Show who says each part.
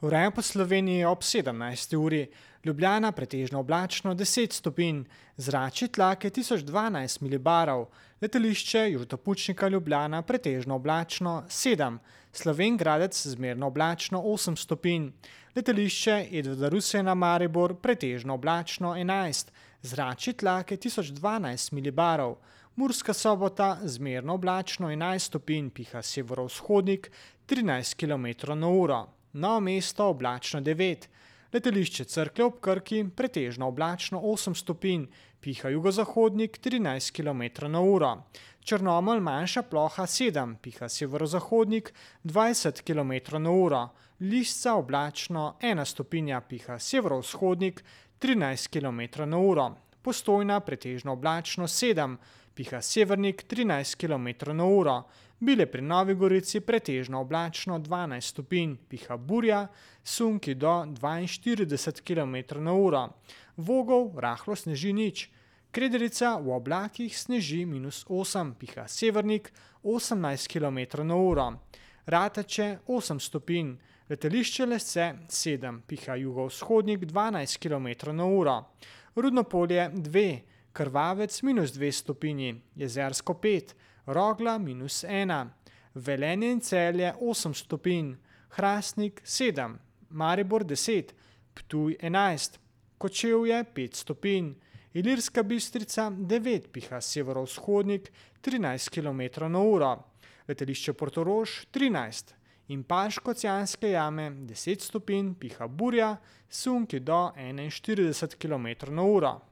Speaker 1: Vreme po Sloveniji ob 17. uri, Ljubljana pretežno oblačno 10 stopinj, zračni tlak je 1012 milibarov, letališče Južnotopučnika Ljubljana pretežno oblačno 7, Slovenj Gradec zmerno oblačno 8 stopinj, letališče Edvarda Rusjana Maribor pretežno oblačno 11, zračni tlak je 1012 milibarov, Murska Sobota zmerno oblačno 11 stopinj, piha severovzhodnik 13 km/h. Novo mesto oblačno 9, letališče Cerklje ob Krki pretežno oblačno 8 stopinj, piha jugozahodnik 13 km/h. Črnomelj manjša ploha 7, piha severozahodnik 20 km/h. Lisca oblačno 1 stopinja, piha severovzhodnik 13 km/h. Postojna pretežno oblačno 7, piha severnik 13 km/h. Bile pri Novi Gorici pretežno oblačno 12 stopinj, piha burja, sunki do 42 km/h. Vogel rahlo sneži nič. Krederica v oblakih sneži -8, piha severnik 18 km/h. Rateče 8 stopinj, letališče Lesce 7, piha jugovzhodnik 12 km/h. Rudnopolje 2, Krvavec -2 stopinji, Jezersko 5, Rogla -1, Velenje in Celje 8 stopinj, Hrastnik 7, Maribor 10, Ptuj 11, Kočevje 5 stopinj, Ilirska Bistrica 9, piha severovzhodnik 13 km/h, letališče Portorož 13 in Škocjanske jame 10 stopinj, piha burja, sunki do 41 km/h.